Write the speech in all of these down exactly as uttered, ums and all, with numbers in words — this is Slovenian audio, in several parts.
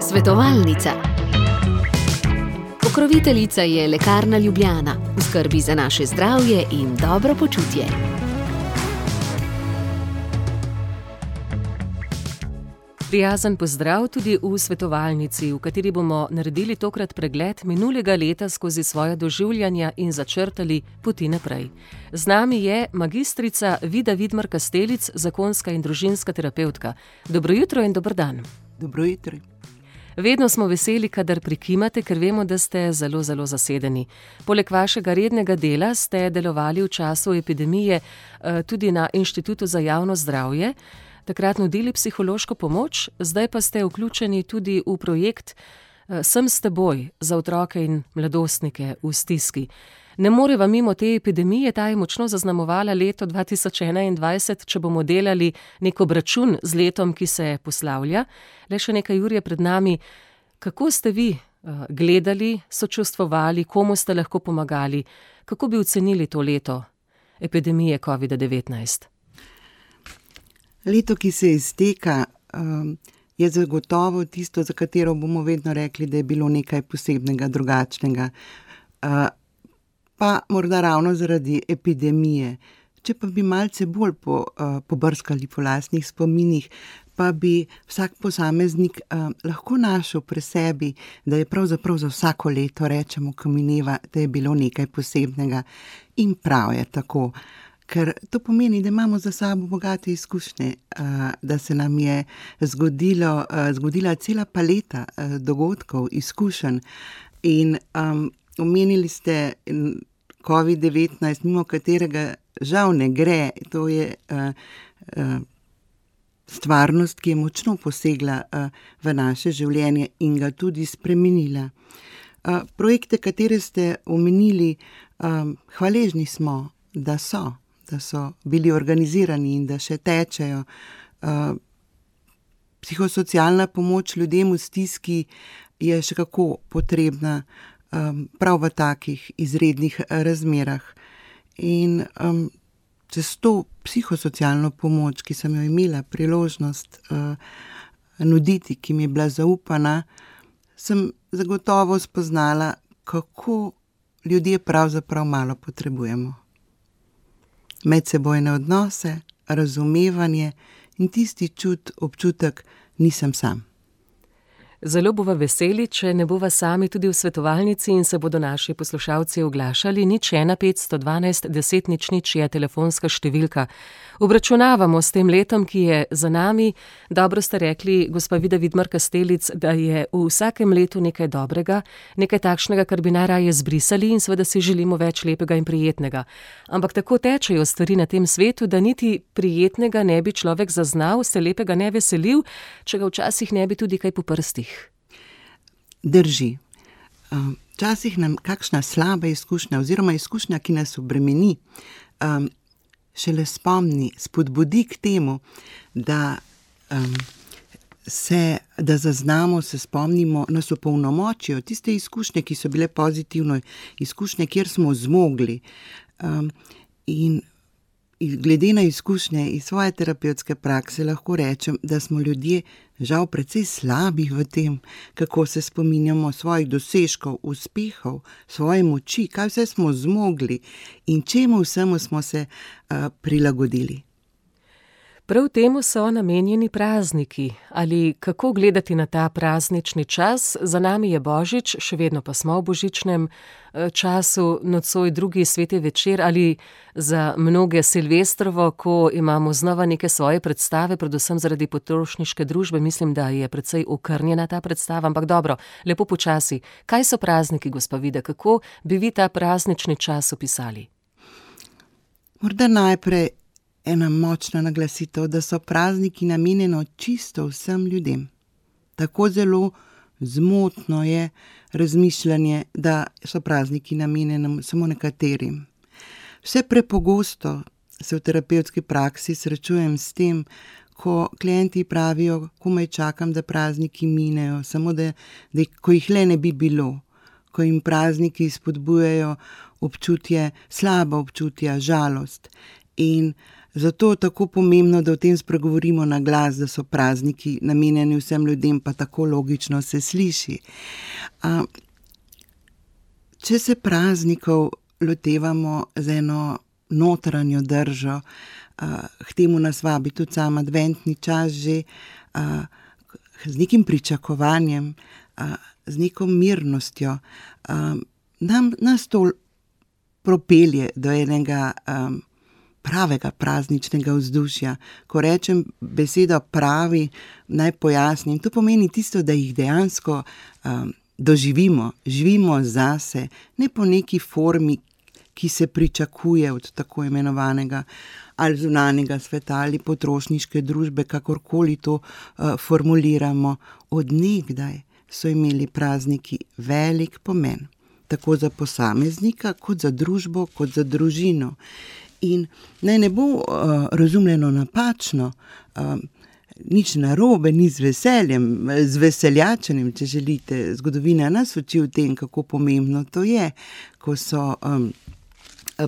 Svetovalnica. Pokroviteljica je Lekarna Ljubljana, v skrbi za naše zdravje in dobro počutje. Prijazen pozdrav tudi v svetovalnici, v kateri bomo naredili tokrat pregled minulega leta skozi svoja doživljanja in začrtali poti naprej. Z nami je magistrica Vida Vidmar Kastelic, zakonska in družinska terapevtka. Dobro jutro in dober dan. Dobro jutro. Vedno smo veseli, kadar prikimate, ker vemo, da ste zelo, zelo zasedeni. Poleg vašega rednega dela ste delovali v času epidemije tudi na Inštitutu za javno zdravje, takrat nudili psihološko pomoč, zdaj pa ste vključeni tudi v projekt Sem s teboj za otroke in mladostnike v stiski. Ne moreva mimo te epidemije, ta je močno zaznamovala leto dva tisoč enaindvajset, če bomo delali nek obračun z letom, ki se poslavlja. Le še nekaj ur je pred nami. Kako ste vi gledali, sočustvovali, komu ste lahko pomagali? Kako bi ocenili to leto epidemije covida devetnajst? Leto, ki se izteka, je zagotovo tisto, za katero bomo vedno rekli, da je bilo nekaj posebnega, drugačnega. Pa morda ravno zaradi epidemije. Če pa bi malce bolj po, pobrskali po lastnih spominih, pa bi vsak posameznik lahko našel pri sebi, da je pravzaprav za vsako leto, rečemo, ko mineva, da je bilo nekaj posebnega. In prav je tako. Ker to pomeni, da imamo za sabo bogate izkušnje, da se nam je zgodilo, zgodila cela paleta dogodkov, izkušenj. In um, omenili ste covid devetnajst, mimo katerega žal ne gre. To je uh, uh, stvarnost, ki je močno posegla uh, v naše življenje in ga tudi spremenila. Uh, projekte, katere ste omenili, um, hvaležni smo, da so. da so bili organizirani in da še tečejo. Uh, psihosocialna pomoč ljudem v stiski je še kako potrebna um, prav v takih izrednih razmerah. In um, čez to psihosocialno pomoč, ki sem jo imela priložnost uh, nuditi, ki mi je bila zaupana, sem zagotovo spoznala, kako ljudje pravzaprav malo potrebujemo. Medsebojne odnose, razumevanje in tisti čut, občutek, nisem sam. Zelo bova veseli, če ne bova sami tudi v svetovalnici in se bodo naši poslušalci oglašali. Nič ena petsto dvanajst deset nič nič je telefonska številka. Obračunavamo s tem letom, ki je za nami. Dobro ste rekli, gospa Vida Vidmar Kastelic, da je v vsakem letu nekaj dobrega, nekaj takšnega, kar bi najraje zbrisali in seveda si želimo več lepega in prijetnega. Ampak tako tečejo stvari na tem svetu, da niti prijetnega ne bi človek zaznal, se lepega ne veselil, če ga včasih ne bi tudi kaj po prstih. Drži. Včasih nam kakšna slaba izkušnja oziroma izkušnja, ki nas obremeni, um, šele spomni, spodbudi k temu, da, um, se, da zaznamo, se spomnimo, nas opolnomočijo tiste izkušnje, ki so bile pozitivne, izkušnje, kjer smo zmogli. Um, in glede na izkušnje iz svoje terapevtske prakse lahko rečem, da smo ljudje žal precej slabi v tem, kako se spominjamo svojih dosežkov, uspehov, svoje moči, kaj vse smo zmogli in čemu vsemu smo se uh, prilagodili. Prav temu so namenjeni prazniki. Ali kako gledati na ta praznični čas? Za nami je Božič, še vedno pa smo v božičnem času, nocoj drugi sveti večer ali za mnoge Silvestrovo, ko imamo znova neke svoje predstave, predvsem zaradi potrošniške družbe. Mislim, da je precej okrnjena ta predstava, ampak dobro, lepo počasi. Kaj so prazniki, gospa Vida? Kako bi vi ta praznični čas opisali? Morda najprej ena močna naglasitev, da so prazniki namenjeno čisto vsem ljudem. Tako zelo zmotno je razmišljanje, da so prazniki namenjeni samo nekaterim. Vse prepogosto se v terapevtski praksi srečujem s tem, ko klienti pravijo, komaj čakam, da prazniki minejo, samo da, da ko jih le ne bi bilo, ko jim prazniki spodbujajo občutje, slaba občutja, žalost. In Zato je tako pomembno, da o tem spregovorimo na glas, da so prazniki namenjeni vsem ljudem, pa tako logično se sliši. A, če se praznikov lotevamo z eno notranjo držo, a, k temu nas vabi tudi sam adventni čas že, a, z nekim pričakovanjem, a, z neko mirnostjo, a, nam, nas to propelje do enega a, pravega prazničnega vzdušja. Ko rečem besedo pravi, naj pojasnim, to pomeni tisto, da jih dejansko um, doživimo, živimo zase, ne po neki formi, ki se pričakuje od tako imenovanega ali zunanjega sveta ali potrošniške družbe, kakorkoli to uh, formuliramo. Od nekdaj so imeli prazniki velik pomen, tako za posameznika, kot za družbo, kot za družino. In naj ne bo uh, razumljeno napačno, uh, nič narobe, ni z veseljem, z veseljačenjem, če želite. Zgodovina nas uči o tem, kako pomembno to je, ko so um,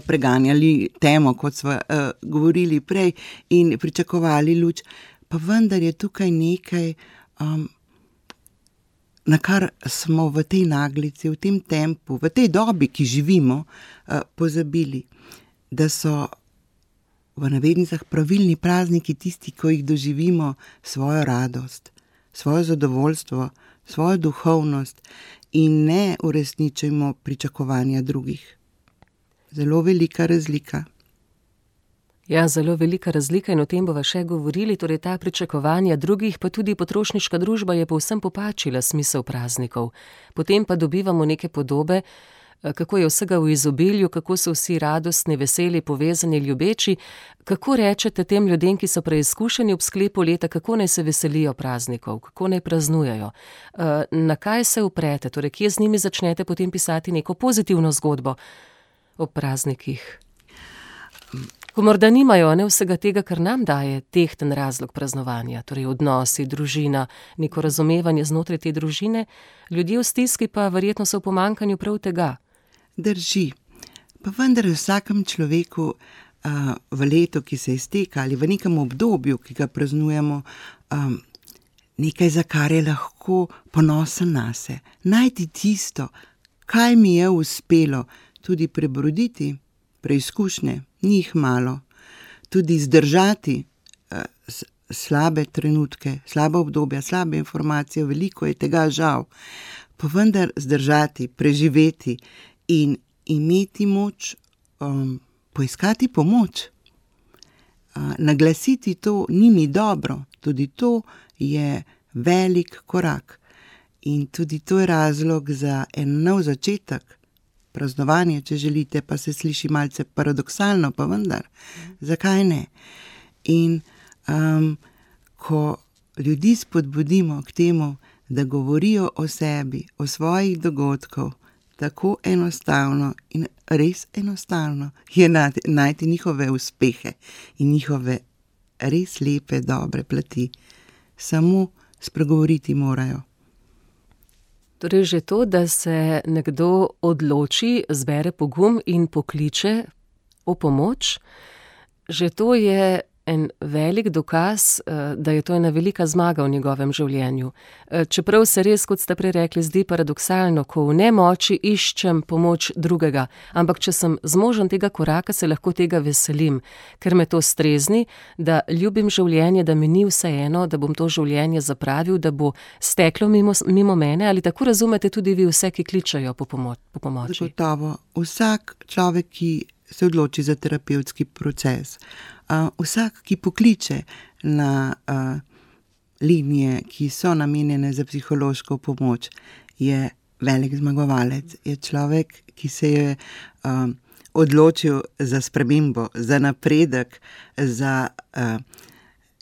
preganjali temo, kot smo uh, govorili prej, in pričakovali luč. Pa vendar je tukaj nekaj, um, na kar smo v tej naglici, v tem tempu, v tej dobi, ki živimo, uh, pozabili. Da so v navednicah pravilni prazniki tisti, ko jih doživimo svojo radost, svojo zadovoljstvo, svojo duhovnost in ne uresničujemo pričakovanja drugih. Zelo velika razlika. Ja, zelo velika razlika in o tem bova še govorili, torej ta pričakovanja drugih, pa tudi potrošniška družba je povsem popačila smisel praznikov. Potem pa dobivamo neke podobe, kako je vsega v izobilju, kako so vsi radostni, veseli, povezani, ljubeči. Kako rečete tem ljudem, ki so preizkušeni ob sklepu leta, kako naj se veselijo praznikov, kako naj praznujejo? Na kaj se uprete, torej kje z njimi začnete potem pisati neko pozitivno zgodbo o praznikih? Ko morda nimajo ne vsega tega, kar nam daje tehten razlog praznovanja, torej odnosi, družina, neko razumevanje znotraj te družine, ljudje v stiski pa verjetno so v pomanjkanju prav tega. Drži. Pa vendar v vsakem človeku uh, v letu, ki se izteka, ali v nekem obdobju, ki ga praznujemo, um, nekaj, za kar je lahko ponosen nase. Najti tisto, kaj mi je uspelo, tudi prebroditi preizkušnje, ni jih malo. Tudi zdržati uh, slabe trenutke, slabe obdobja, slabe informacije, veliko je tega žal. Pa vendar zdržati, preživeti in imeti moč, um, poiskati pomoč, uh, naglasiti to, ni mi dobro, tudi to je velik korak. In tudi to je razlog za en nov začetek, praznovanje, če želite, pa se sliši malce paradoksalno, pa vendar, zakaj ne? In um, ko ljudi spodbudimo k temu, da govorijo o sebi, o svojih dogodkov, tako enostavno in res enostavno je najti njihove uspehe in njihove res lepe, dobre plati. Samo spregovoriti morajo. Torej že to, da se nekdo odloči, zbere pogum in pokliče o pomoč, že to je en velik dokaz, da je to ena velika zmaga v njegovem življenju. Čeprav se res, kot ste prej rekli, zdi paradoksalno, ko v nemoči iščem pomoč drugega, ampak če sem zmožen tega koraka, se lahko tega veselim, ker me to strezni, da ljubim življenje, da mi ni vseeno, da bom to življenje zapravil, da bo steklo mimo, mimo mene, ali tako razumete tudi vi vse, ki kličajo po, pomo- po pomoči? Zagotovo. Vsak človek, ki se odloči za terapevtski proces, Uh, vsak, ki pokliče na uh, linije, ki so namenjene za psihološko pomoč, je velik zmagovalec. Je človek, ki se je uh, odločil za spremembo, za napredek, za, uh,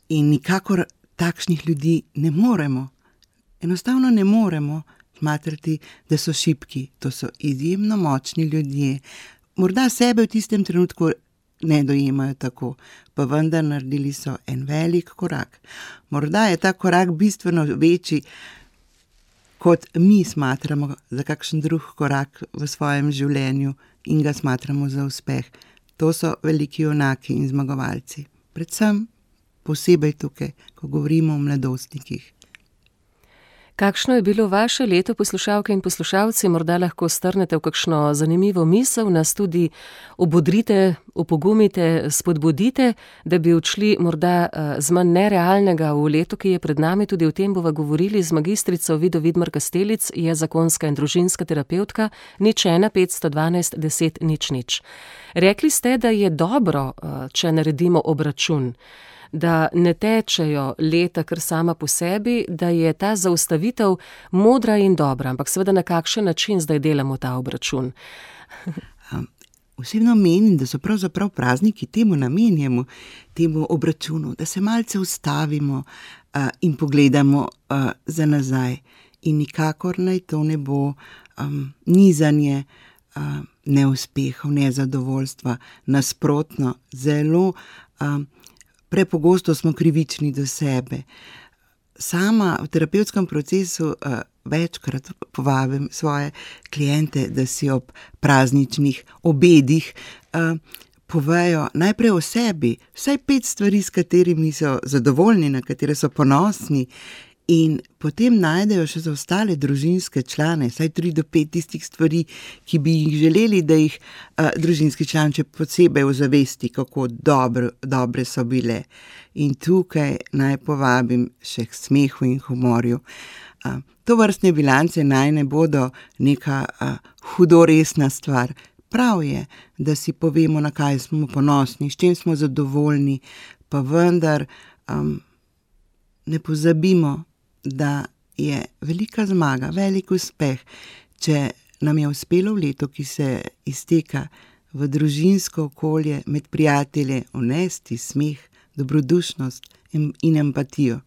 in nikakor takšnih ljudi ne moremo, enostavno ne moremo smatrati, da so šibki. To so izjemno močni ljudje. Morda sebe v tistem trenutku ne dojemajo tako, pa vendar naredili so en velik korak. Morda je ta korak bistveno večji, kot mi smatramo za kakšen drug korak v svojem življenju in ga smatramo za uspeh. To so veliki junaki in zmagovalci. Predvsem posebej tukaj, ko govorimo o mladostnikih. Kakšno je bilo vaše leto, poslušalke in poslušalci? Morda lahko strnete v kakšno zanimivo misel, nas tudi obodrite, opogumite, spodbudite, da bi odšli morda z manj nerealnega v leto, ki je pred nami. Tudi o tem bova govorili z magistrico Vido Vidmar Kastelic, je zakonska in družinska terapevtka, nič ena petsto dvanajst deset nič nič. Rekli ste, da je dobro, če naredimo obračun, da ne tečejo leta kar sama po sebi, da je ta zaustavitev modra in dobra, ampak seveda na kakšen način zdaj delamo ta obračun? Osebno menim, da so pravzaprav prazniki temu namenjamo, temu obračunu, da se malce ustavimo uh, in pogledamo uh, za nazaj. In nikakor naj to ne bo um, nizanje uh, neuspehov, nezadovoljstva, nasprotno, zelo um, prepogosto smo krivični do sebe. Sama v terapevtskem procesu uh, večkrat povabim svoje kliente, da si ob prazničnih obedih uh, povejo najprej o sebi, vsaj pet stvari, s katerimi so zadovoljni, na katere so ponosni, in potem najdejo še za ostale družinske člane, vsaj tri do pet tistih stvari, ki bi jih želeli, da jih uh, družinski član še posebej ozavesti, kako dobro, dobre so bile. In tukaj naj povabim še k smehu in humorju. Uh, to vrstne bilance naj ne bodo neka uh, hudoresna stvar. Prav je, da si povemo, na kaj smo ponosni, s čim smo zadovoljni, pa vendar um, ne pozabimo, da je velika zmaga, velik uspeh, če nam je uspelo v letu, ki se izteka, v družinsko okolje, med prijatelje, vnesti smeh, dobrodušnost in, in empatijo.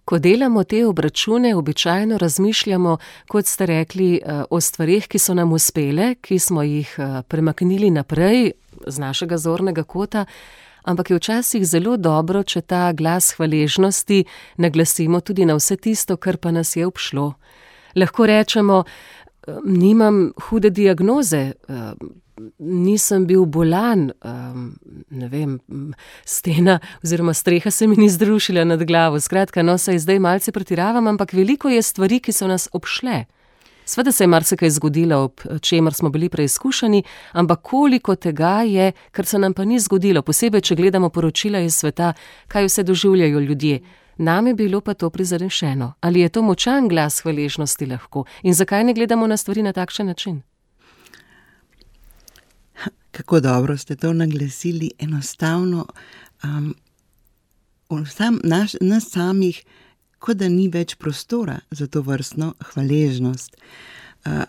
Ko delamo te obračune, običajno razmišljamo, kot ste rekli, o stvarih, ki so nam uspele, ki smo jih premaknili naprej z našega zornega kota, ampak je včasih zelo dobro, če ta glas hvaležnosti naglasimo tudi na vse tisto, kar pa nas je obšlo. Lahko rečemo, nimam hude diagnoze, nisem bil bolan, ne vem, stena oziroma streha se mi ni zrušila nad glavo. Skratka, no, saj zdaj malce pretiravam, ampak veliko je stvari, ki so nas obšle. Sveda se je marsikaj zgodilo, ob čemer smo bili preizkušeni, ampak koliko tega je, kar se nam pa ni zgodilo, posebej, če gledamo poročila iz sveta, kaj vse doživljajo ljudje. Nam je bilo pa to prizanešeno. Ali je to močan glas hvaležnosti lahko? In zakaj ne gledamo na stvari na takšen način? Kako dobro ste to naglasili, enostavno um, sam, naš, nas samih, kot da ni več prostora za to vrstno hvaležnost. Uh,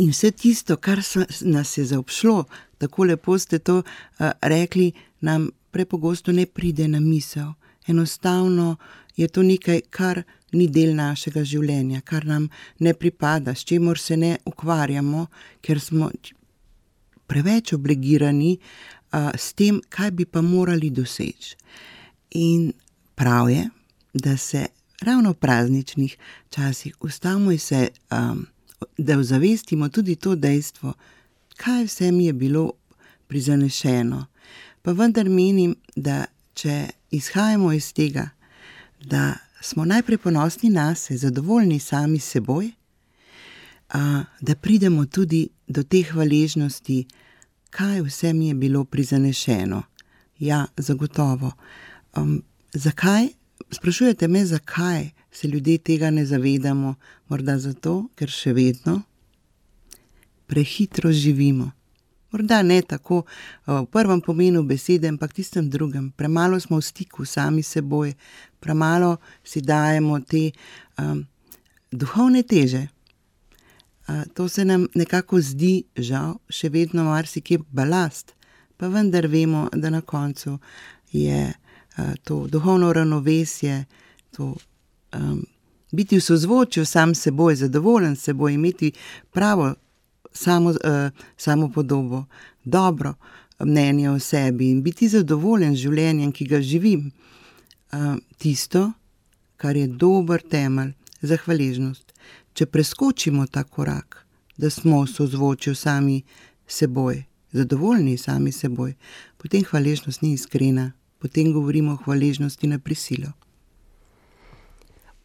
in vse tisto, kar so, nas je zaobšlo, tako lepo ste to uh, rekli, nam prepogosto ne pride na misel. Enostavno je to nekaj, kar ni del našega življenja, kar nam ne pripada, s čemur se ne ukvarjamo, ker smo preveč obligirani uh, s tem, kaj bi pa morali doseči. In prav je, da se ravno v prazničnih časih ustavimo in se, um, da ozavestimo tudi to dejstvo, kaj vse mi je bilo prizanešeno. Pa vendar menim, da če izhajamo iz tega, da smo najprej ponosni nase, zadovoljni sami s seboj, uh, da pridemo tudi do te hvaležnosti, kaj vse mi je bilo prizanešeno. Ja, zagotovo. Um, zakaj? Sprašujete me, zakaj se ljudje tega ne zavedamo? Morda zato, ker še vedno prehitro živimo. Morda ne tako v prvem pomenu besede, ampak tistem drugem. Premalo smo v stiku sami seboj, premalo si dajemo te um, duhovne teže. Uh, to se nam nekako zdi, žal, še vedno marsikje balast, pa vendar vemo, da na koncu je to duhovno ravnovesje, to um, biti v sozvočju sam s seboj, zadovoljen s seboj, imeti pravo samo, uh, samo podobo, dobro mnenje o sebi in biti zadovoljen z življenjem, ki ga živim. Uh, tisto, kar je dober temelj za hvaležnost. Če preskočimo ta korak, da smo v sozvočju sami s seboj, zadovoljni sami seboj, potem hvaležnost ni iskrena, potem govorimo o hvaležnosti na prisilo.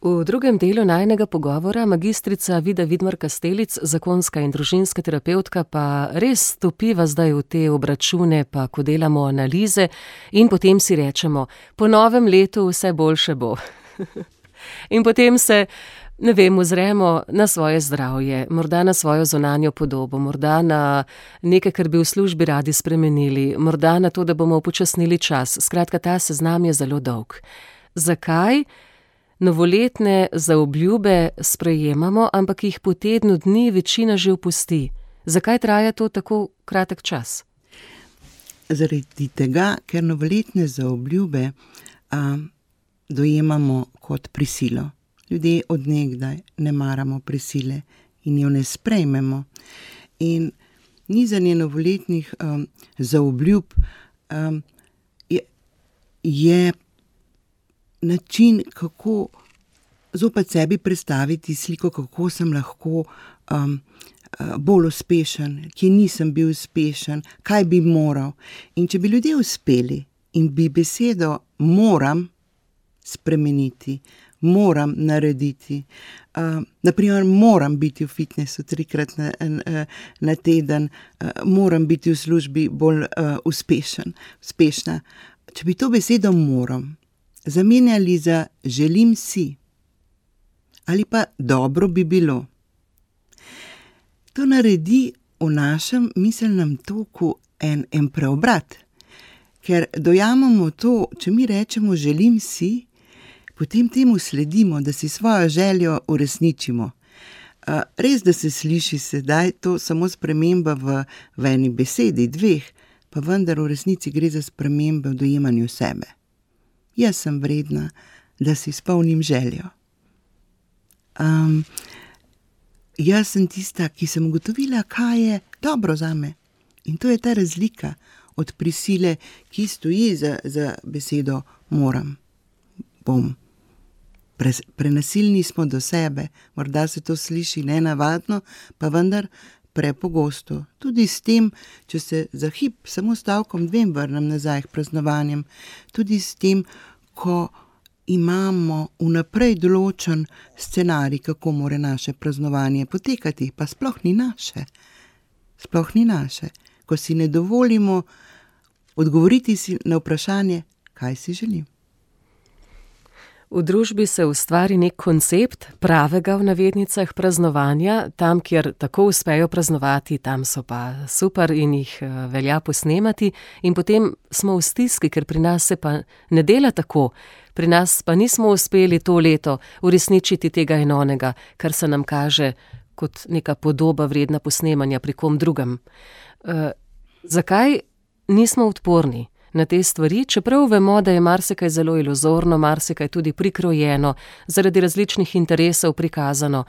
V drugem delu najinega pogovora magistrica Vida Vidmar Kastelic, zakonska in družinska terapevtka, pa res stopiva zdaj v te obračune, pa ko delamo analize in potem si rečemo, po novem letu vse boljše bo. In potem se, ne vem, ozremo na svoje zdravje, morda na svojo zunanjo podobo, morda na nekaj, kar bi v službi radi spremenili, morda na to, da bomo upočasnili čas. Skratka, ta seznam je zelo dolg. Zakaj novoletne zaobljube sprejemamo, ampak jih po tednu dni večina že opusti? Zakaj traja to tako kratek čas? Zaradi tega, ker novoletne zaobljube a, dojemamo kot prisilo. Ljudje od nekdaj ne maramo prisile in jo ne sprejmemo. In nizanje novoletnih um, zaobljub um, je, je način, kako zopet sebi predstaviti sliko, kako sem lahko um, bolj uspešen, kje nisem bil uspešen, kaj bi moral. In če bi ljudje uspeli in bi besedo moram spremeniti, moram narediti, uh, naprimer moram biti v fitnessu trikrat na, na teden, uh, moram biti v službi bolj uh, uspešen, uspešna. Če bi to besedo moram zamenjali za želim si ali pa dobro bi bilo, to naredi v našem miselnem toku en, en preobrat, ker dojamemo to, če mi rečemo želim si, potem temu sledimo, da si svojo željo uresničimo. Res, da se sliši sedaj to samo sprememba v, v eni besedi, dveh, pa vendar v resnici gre za spremembe v dojemanju sebe. Jaz sem vredna, da si izpolnim željo. Um, jaz sem tista, ki sem ugotovila, kaj je dobro zame. In to je ta razlika od prisile, ki stoji za, za besedo moram, bom. Pre, prenasilni smo do sebe, morda se to sliši nenavadno, pa vendar prepogosto. Tudi s tem, če se za hip samo stavkom dvem vrnem nazaj k praznovanjem, tudi s tem, ko imamo vnaprej določen scenarij, kako more naše praznovanje potekati, pa sploh ni naše. Sploh ni naše. Ko si ne dovolimo odgovoriti si na vprašanje, kaj si želim. V družbi se ustvari nek koncept pravega v navednicah praznovanja, tam, kjer tako uspejo praznovati, tam so pa super in jih velja posnemati, in potem smo v stiski, ker pri nas se pa ne dela tako. Pri nas pa nismo uspeli to leto uresničiti tega in onega, kar se nam kaže kot neka podoba vredna posnemanja pri kom drugem. E, zakaj nismo odporni na te stvari, čeprav vemo, da je marsikaj zelo iluzorno, marsikaj tudi prikrojeno, zaradi različnih interesov prikazano.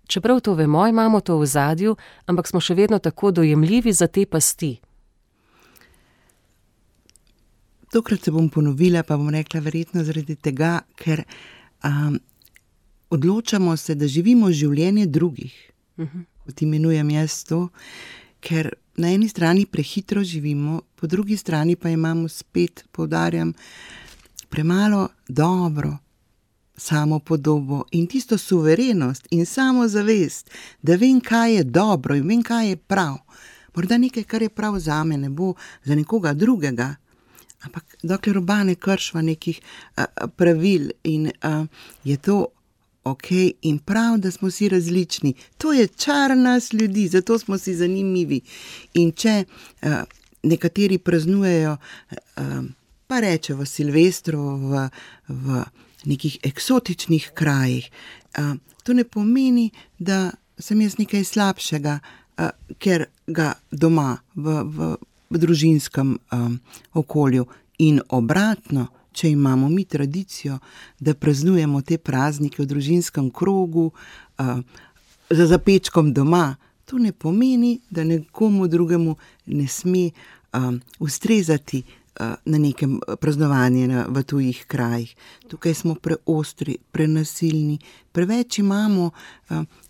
Čeprav to vemo, imamo to v ozadju, ampak smo še vedno tako dojemljivi za te pasti. Tokrat se bom ponovila, pa bom rekla verjetno zaradi tega, ker um, odločamo se, da živimo življenje drugih. Uh-huh. Kot imenujem jaz to, ker na eni strani prehitro živimo, po drugi strani pa imamo spet, poudarjam, premalo dobro samopodobo in tisto suverenost in samozavest, da vem, kaj je dobro in vem, kaj je prav. Morda nekaj, kar je prav zame, ne bo za nekoga drugega, ampak dokler oba ne kršva nekih a, pravil in a, je to ok in prav, da smo si različni. To je čar nas ljudi, zato smo si zanimivi. In če uh, nekateri praznujejo, uh, pa rečejo Silvestro v, v nekih eksotičnih krajih, uh, to ne pomeni, da sem jaz nekaj slabšega, uh, ker ga doma v, v, v družinskem um, okolju in obratno. Če imamo mi tradicijo, da praznujemo te praznike v družinskem krogu, uh, za zapečkom doma, to ne pomeni, da nekomu drugemu ne sme um, ustrezati na nekem praznovanju v tujih krajih. Tukaj smo preostri, prenasilni, preveč imamo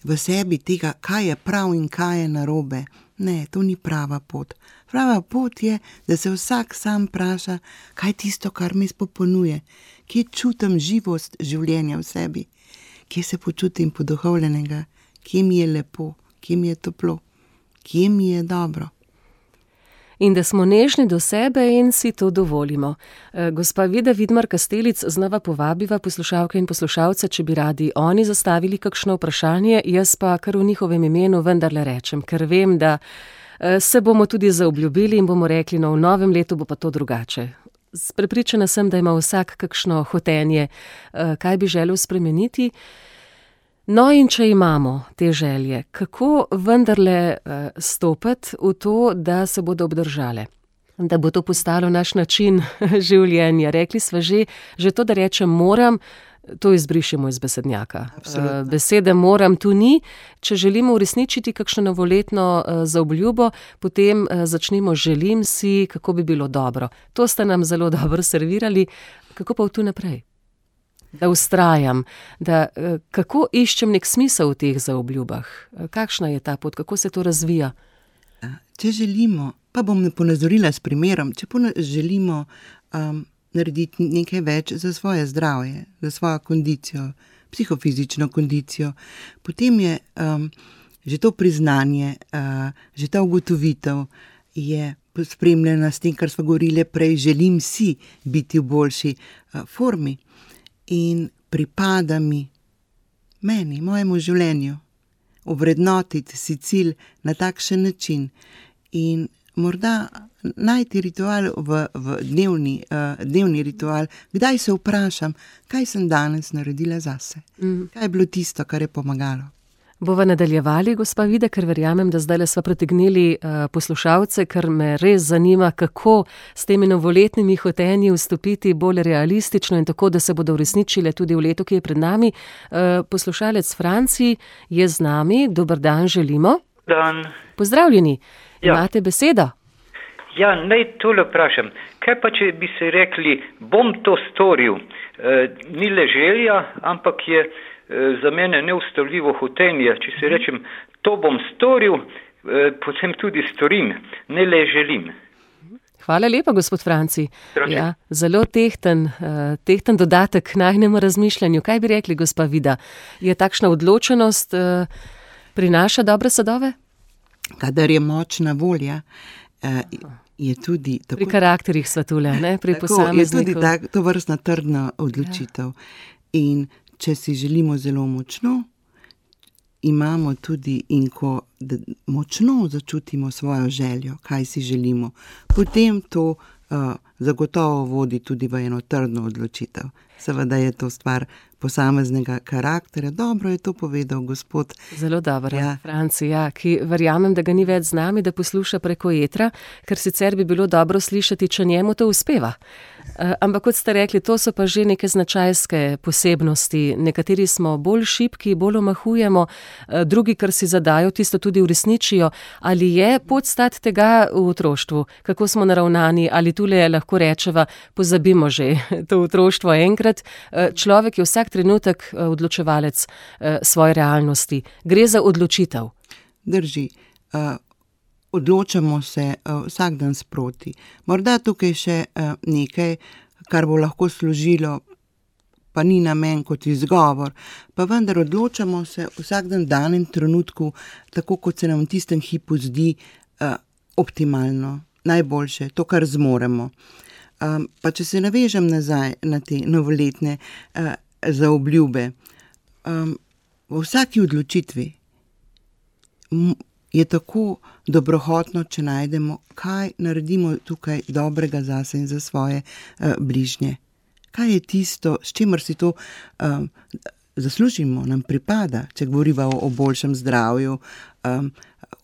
v sebi tega, kaj je prav in kaj je narobe. Ne, to ni prava pot. Prava pot je, da se vsak sam vpraša, kaj je tisto, kar me izpopolnjuje, kje čutim živost življenja v sebi, kje se počutim poduhovljenega, kje mi je lepo, kje mi je toplo, kje mi je dobro. In da smo nežni do sebe in si to dovolimo. Gospa Vida Vidmar Kastelic, znova povabiva poslušalke in poslušalce, če bi radi oni zastavili kakšno vprašanje, jaz pa kar v njihovem imenu vendarle rečem, ker vem, da se bomo tudi zaobljubili in bomo rekli, no v novem letu bo pa to drugače. Prepričana sem, da ima vsak kakšno hotenje, kaj bi želel spremeniti. No in če imamo te želje, kako vendarle stopiti v to, da se bodo obdržale? Da bo to postalo naš način življenja. Rekli sva že, že to, da rečem moram, to izbrišemo iz besednjaka. Absolutno. Besede moram tu ni. Če želimo uresničiti kakšno novoletno zaobljubo, potem začnimo želim si, kako bi bilo dobro. To ste nam zelo dobro servirali. Kako pa v tu naprej? Da vztrajam, da kako iščem nek smisel v teh zaobljubah. Kakšna je ta pot, kako se to razvija? Če želimo, pa bom ponazorila s primerom, če želimo um, narediti nekaj več za svoje zdravje, za svojo kondicijo, psihofizično kondicijo, potem je um, že to priznanje, uh, že ta ugotovitev je spremljena s tem, kar smo govorili prej, želim si biti v boljši uh, formi. In pripada mi, meni, mojemu življenju, ovrednotiti si cilj na takšen način in morda najti ritual v, v dnevni, uh, dnevni ritual, kdaj se vprašam, kaj sem danes naredila zase, mm. kaj je bilo tisto, kar je pomagalo. Bova nadaljevali, gospa Vida, ker verjamem, da zdaj le sva pritegnili uh, poslušalce, ker me res zanima, kako s temi novoletnimi hotenji vstopiti bolj realistično in tako, da se bodo uresničile tudi v letu, ki je pred nami. Uh, poslušalec Franci je z nami. Dober dan želimo. Dan. Pozdravljeni. Ja. Imate besedo? Ja, naj tole vprašam. Kaj pa, če bi se rekli, bom to storil? E, ni le želja, ampak je za mene neustavljivo hotenje, če se rečem, to bom storil, potem tudi storim, ne le želim. Hvala lepa, gospod Franci. Ja, zelo tehten, tehten dodatek k najnemu razmišljanju. Kaj bi rekli, gospa Vida? Je takšna odločenost prinaša dobre sadove? Kadar je močna volja, je tudi tako, pri karakterih sva tule, ne? Pri tako, posamezniku. Je tudi tak, to vrstna trdna odločitev. Ja. In če si želimo zelo močno, imamo tudi in ko močno začutimo svojo željo, kaj si želimo, potem to uh, zagotovo vodi tudi v eno trdno odločitev. Seveda je to stvar posameznega karakterja. Dobro je to povedal gospod. Zelo dobro, ja. Franci, ja, ki verjamem, da ga ni več z nami, da posluša preko etra, ker sicer bi bilo dobro slišati, če njemu to uspeva. Uh, ampak kot ste rekli, to so pa že neke značajske posebnosti. Nekateri smo bolj šibki, bolj omahujemo, uh, drugi, kar si zadajo, tisto tudi uresničijo. Ali je podstat tega v otroštvu? Kako smo naravnani? Ali tule lahko rečeva, pozabimo že to otroštvo enkrat? Uh, človek je vsak trenutek uh, odločevalec uh, svoje realnosti. Gre za odločitev. Drži. Uh... Odločamo se uh, vsak dan sproti. Morda tukaj še uh, nekaj, kar bo lahko služilo, pa ni namen kot izgovor, pa vendar odločamo se vsak dan danem trenutku, tako kot se nam v tistem hipu zdi uh, optimalno, najboljše, to, kar zmoremo. Um, pa če se navežem nazaj na te novoletne uh, zaobljube, um, v vsaki odločitvi m- je tako dobrohotno, če najdemo, kaj naredimo tukaj dobrega zase in za svoje uh, bližnje. Kaj je tisto, s čimer si to um, zaslužimo, nam pripada, če govoriva o, o boljšem zdravju, um,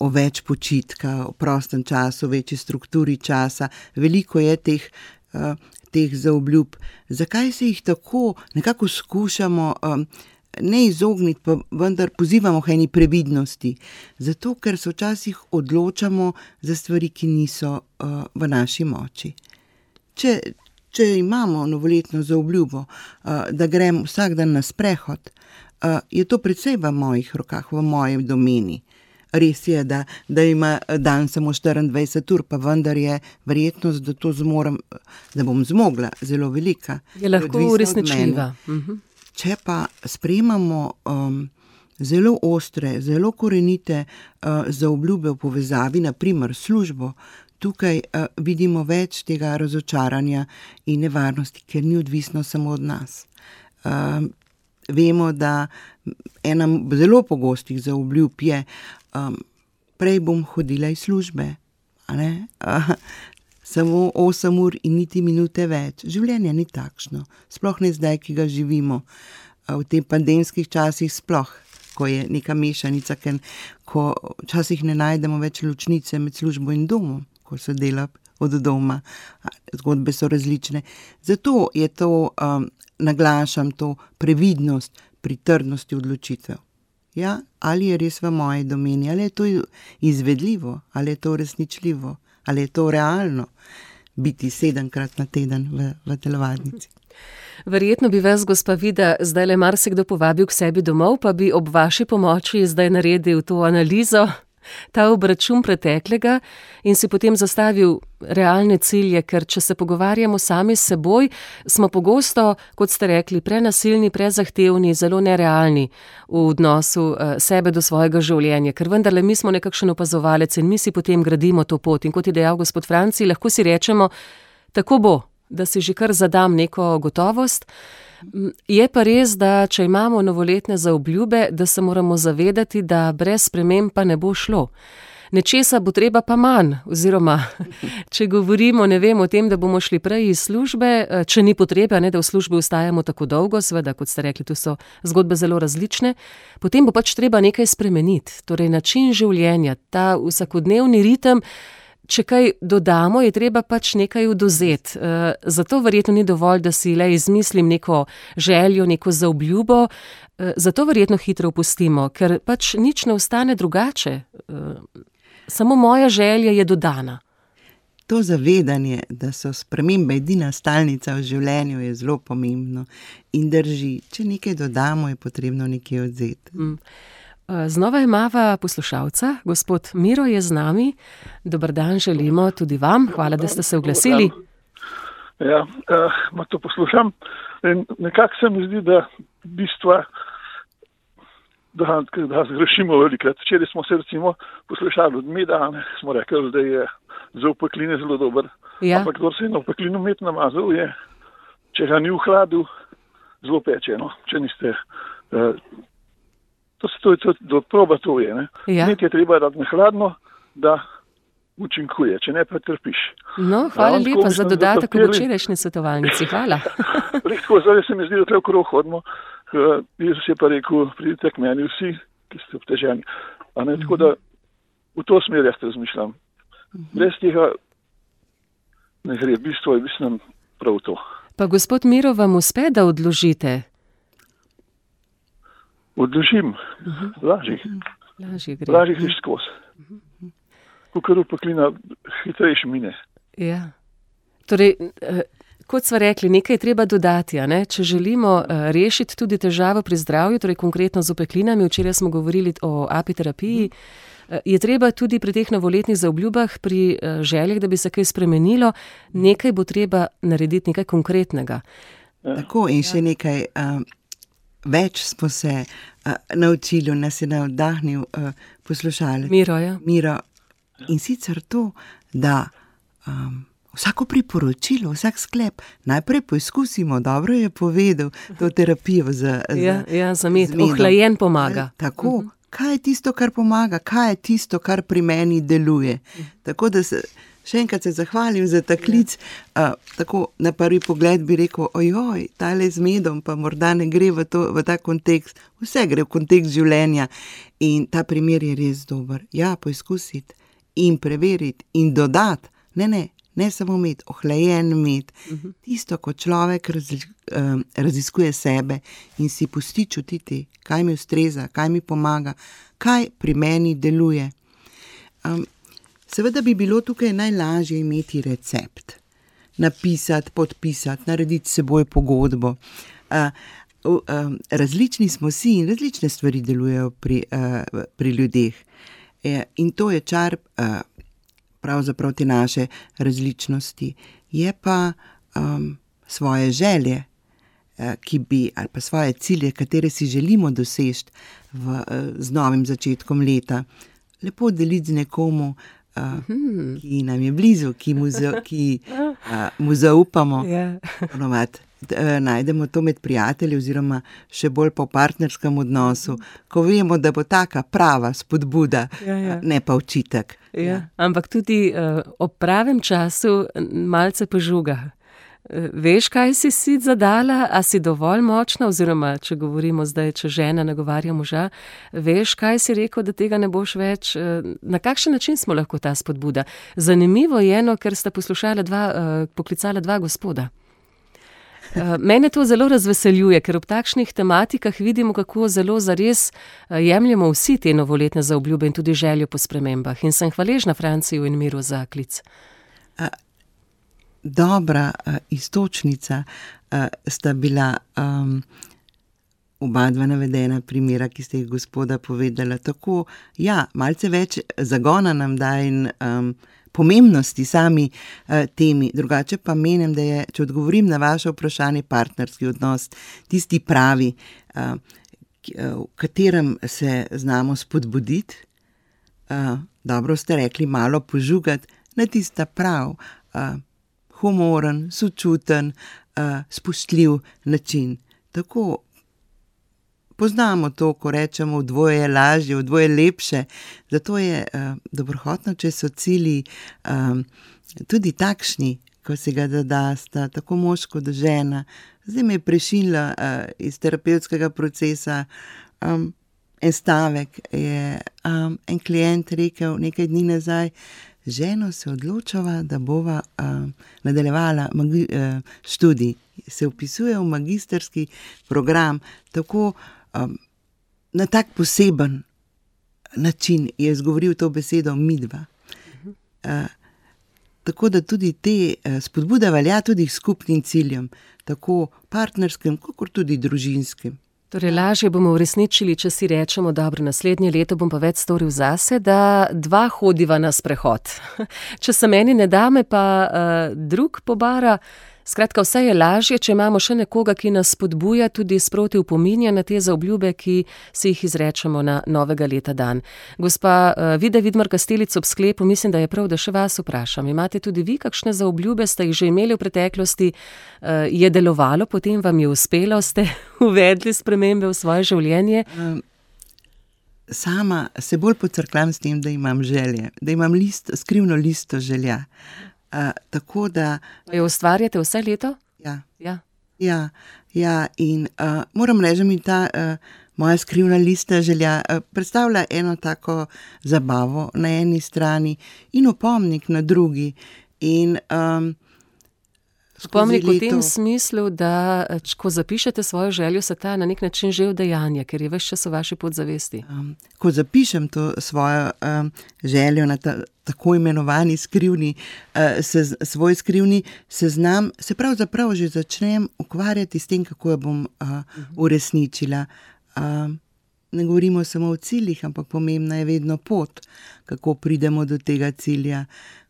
o več počitka, o prostem času, večji strukturi časa. Veliko je teh, uh, teh zaobljub. Zakaj se jih tako nekako skušamo um, ne izogniti, pa vendar pozivamo k eni previdnosti. Zato, ker se včasih odločamo za stvari, ki niso uh, v naši moči. če, če imamo novoletno zaobljubo, da grem vsak dan na sprehod, je to predvsej v mojih rokah, v moji domeni. Res je, da, da ima dan samo štiriindvajset ur, pa vendar je verjetnost, da to zmorem, da bom zmogla, zelo velika. Je lahko uresničljiva. Če pa sprejemamo um, zelo ostre, zelo korenite uh, zaobljube v povezavi, na primer službo, tukaj uh, vidimo več tega razočaranja in nevarnosti, ker ni odvisno samo od nas. Uh, vemo, da ena zelo pogostih zaobljub je, um, prej bom hodila iz službe, a ne? Uh, samo osem ur in niti minute več. Življenje ni takšno, sploh ne zdaj, ki ga živimo. Uh, v tem pandemskih časih sploh, ko je neka mešanica, ker, ko včasih ne najdemo več ločnice med službo in domom, ko se dela od doma, zgodbe so različne. Zato je to, um, naglašam to previdnost pri trdnosti odločitev. Ja, ali je res v moji domeni, ali je to izvedljivo, ali je to resničljivo, ali je to realno biti sedemkrat na teden v, v telovadnici. Verjetno bi vas, gospa Vida, zdaj le marsikdo povabil k sebi domov, pa bi ob vaši pomoči zdaj naredil to analizo, ta obračun preteklega in si potem zastavil realne cilje, ker če se pogovarjamo sami s seboj, smo pogosto, kot ste rekli, prenasilni, prezahtevni, zelo nerealni v odnosu sebe do svojega življenja, ker vendarle mi smo nekakšen opazovalec in mi si potem gradimo to pot. In kot je dejal gospod Franci, lahko si rečemo, tako bo, da si že kar zadam neko gotovost. Je pa res, da če imamo novoletne zaobljube, da se moramo zavedati, da brez sprememb pa ne bo šlo. Nečesa bo treba pa manj, oziroma če govorimo, ne vem, o tem, da bomo šli prej iz službe, če ni potrebe, ne, da v službi ostajamo tako dolgo, seveda, kot ste rekli, tu so zgodbe zelo različne, potem bo pač treba nekaj spremeniti. Torej način življenja, ta vsakodnevni ritem, če kaj dodamo, je treba pač nekaj odvzeti. E, zato verjetno ni dovolj, da si le izmislim neko željo, neko zaobljubo, e, zato verjetno hitro opustimo, ker pač nič ne ostane drugače. E, samo moja želja je dodana. To zavedanje, da so spremembe edina stalnica v življenju, je zelo pomembno in drži. Če nekaj dodamo, je potrebno nekaj odvzeti. Mm. Znova imava poslušalca, gospod Miro je z nami. Dober dan želimo tudi vam, hvala, da ste se oglasili. Ja, uh, to poslušam in nekako se mi zdi, da bistva, da, da zgrešimo velikrat. Včeraj smo se recimo poslušali od meda, smo rekli, da je za opekline zelo dober. Ja. Ampak kdo se je na opeklinu med namazal, je, če ga ni v hladu, zelo peče, no? Če niste... Uh, To se to, to, to proba to je, ne. Ja. Nekaj je treba dati na hladno, da učinkuje, če ne pa trpiš. No, hvala ja, lepa za dodatek v včerajšnji svetovalnici, hvala. Tako, zdaj se mi zdi, da tle okrog hodimo. Jezus je pa rekel, pridite k meni vsi, ki ste obteženi. A ne, tako da v to smer jaz razmišljam. Brez tega ne gre, bistvo je mislim prav to. Pa gospod Miro, vam uspe, da odložite? Odložim, uh-huh. lažje. Lažje gre. Lažje greš skozi. Uh-huh. Kakor upeklina hitrejši mine. Ja. Torej, kot sva rekli, nekaj je treba dodati, a ne? Če želimo rešiti tudi težavo pri zdravju, torej konkretno z upeklinami, včeraj smo govorili o apiterapiji, je treba tudi pri teh novoletnih zaobljubah, pri željah, da bi se kaj spremenilo, nekaj bo treba narediti, nekaj konkretnega. Ja. Tako in še nekaj... Um, Več smo se uh, naučili, nas je navdahnil uh, poslušalec. Miro, ja. Miro. In sicer to, da um, vsako priporočilo, vsak sklep najprej poizkusimo, dobro je povedal to terapijo za, ja, za, ja, za med. Ohlajen pomaga. Tako, uh-huh. Kaj je tisto, kar pomaga, kaj je tisto, kar pri meni deluje. Uh-huh. Tako da se... Še enkrat se zahvalim za ta klic, uh, tako na prvi pogled bi rekel, ojoj, tale z medom pa morda ne gre v, to, v ta kontekst, vse gre v kontekst življenja in ta primer je res dober. Ja, poizkusiti in preveriti in dodati, ne, ne, ne samo med, ohlajen med, uh-huh. Tisto, ko človek raz, um, raziskuje sebe in si pusti čutiti, kaj mi ustreza, kaj mi pomaga, kaj pri meni deluje. Um, Seveda bi bilo tukaj najlažje imeti recept. napisati, podpisati, narediti s seboj pogodbo. Uh, uh, različni smo si in različne stvari delujejo pri, uh, pri ljudeh. E, in to je čar uh, pravzaprav te naše različnosti. Je pa um, svoje želje, uh, ki bi, ali pa svoje cilje, katere si želimo doseči v, uh, z novim začetkom leta, lepo deliti z nekomu, uh, mm-hmm. ki nam je blizu, ki mu, za, ki, uh, mu zaupamo. Yeah. Ponovadi uh, najdemo to med prijatelji oziroma še bolj po partnerskem odnosu, ko vemo, da bo taka prava spodbuda, yeah, yeah. ne pa očitek. Yeah. Ja. Ampak tudi uh, ob pravem času malce požuga. Veš, kaj si si zadala, a si dovolj močna, oziroma, če govorimo zdaj, če žena nagovarja moža, veš, kaj si rekel, da tega ne boš več, na kakšen način smo lahko ta spodbuda? Zanimivo je eno, ker sta poslušala dva, poklicala dva gospoda. Mene to zelo razveseljuje, ker ob takšnih tematikah vidimo, kako zelo zares jemljemo vsi te novoletne zaobljube in tudi željo po spremembah. In sem hvaležna Franciju in Miru za klic. A dobra uh, istočnica uh, sta bila um, oba dva navedena primera, ki ste jih gospoda povedala. Tako, ja, malce več zagona nam da in um, pomembnosti sami uh, temi. Drugače pa menim, da je, če odgovorim na vaše vprašanje, partnerski odnos tisti pravi, uh, k, uh, v katerem se znamo spodbuditi, uh, dobro ste rekli, malo požugati, na tista prav, uh, humoren, sočuten, uh, spoštljiv način. Tako poznamo to, ko rečemo, v dvoje je lažje, v dvoje lepše. Zato je uh, dobrohotno, če so cilji um, tudi takšni, ko se ga dodasta, tako mož kot žena. Zdaj me je prešinila uh, iz terapevtskega procesa um, en stavek. Je um, en klient rekel nekaj dni nazaj, ženo se odločava, da bova uh, nadaljevala magi, uh, študij. Se vpisuje v magistrski program, tako um, na tak poseben način je izgovoril to besedo midva. Uh, tako da tudi te uh, spodbude velja tudi skupnim ciljem, tako partnerskim, kot tudi družinskim. Torej, lažje bomo uresničili, če si rečemo, dobro, naslednje leto bom pa več storil zase, da dva hodiva na sprehod. Če se meni ne dame, pa uh, drug pobara. Skratka, vse je lažje, če imamo še nekoga, ki nas spodbuja, tudi sproti opominja na te zaobljube, ki si jih izrečemo na novega leta dan. Gospa uh, Vida Vidmar Kastelic, ob sklepu, mislim, da je prav, da še vas vprašam. Imate tudi vi kakšne zaobljube, ste jih že imeli v preteklosti, uh, je delovalo, potem vam je uspelo, ste uvedli spremembe v svoje življenje? Um. Sama se bolj pocrklam s tem, da imam želje, da imam list, skrivno listo želja. Uh, tako da... Jo ustvarjate vse leto? Ja. Ja, ja, ja in uh, moram reči, mi ta uh, moja skrivna lista želja uh, predstavlja eno tako zabavo na eni strani in opomnik na drugi. In um, Spomnik v tem smislu, da ko zapišete svojo željo, se ta na nek način že udejanja, ker je ves čas v vaši podzavesti. Um, ko zapišem to svojo um, željo na ta, tako imenovani skrivni, uh, sez, svoj skrivni seznam, se pravzaprav že začnem ukvarjati s tem, kako jo bom uh, uresničila. Uh, ne govorimo samo o ciljih, ampak pomembna je vedno pot, kako pridemo do tega cilja.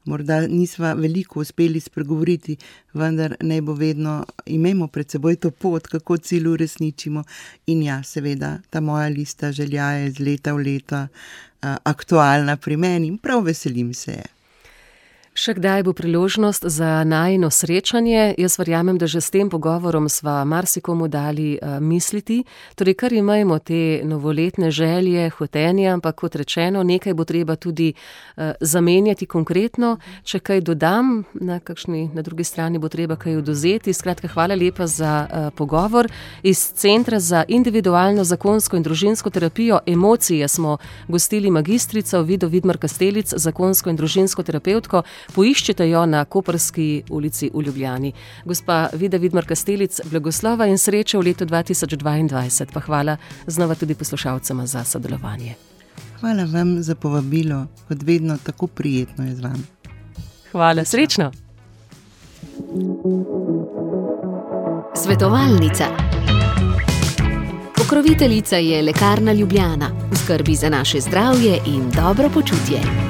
Morda nisva veliko uspeli spregovoriti, vendar naj bo vedno, imejmo pred seboj to pot, kako cilj uresničimo. In ja, seveda, ta moja lista želja je iz leta v leta uh, aktualna pri meni in prav veselim se je. Še kdaj bo priložnost za najino srečanje? Jaz verjamem, da že s tem pogovorom sva marsikomu dali uh, misliti. Torej, kar imamo te novoletne želje, hotenje, ampak kot rečeno, nekaj bo treba tudi uh, zamenjati konkretno. Če kaj dodam, na, kakšni, na drugi strani bo treba kaj odvzeti. Skratka, hvala lepa za uh, pogovor. Iz Centra za individualno, zakonsko in družinsko terapijo Emocije smo gostili magistrico Vido Vidmar Kastelic, zakonsko in družinsko terapevtko. Poiščite jo na Koprski ulici v Ljubljani. Gospa Vida Vidmar Kastelic, blagoslova in sreče v letu dva tisoč dvaindvajset, pa hvala znova tudi poslušalcema za sodelovanje. Hvala vam za povabilo, kot vedno tako prijetno je z vami. Hvala, srečno! Svetovalnica. Pokroviteljica je Lekarna Ljubljana, v skrbi za naše zdravje in dobro počutje.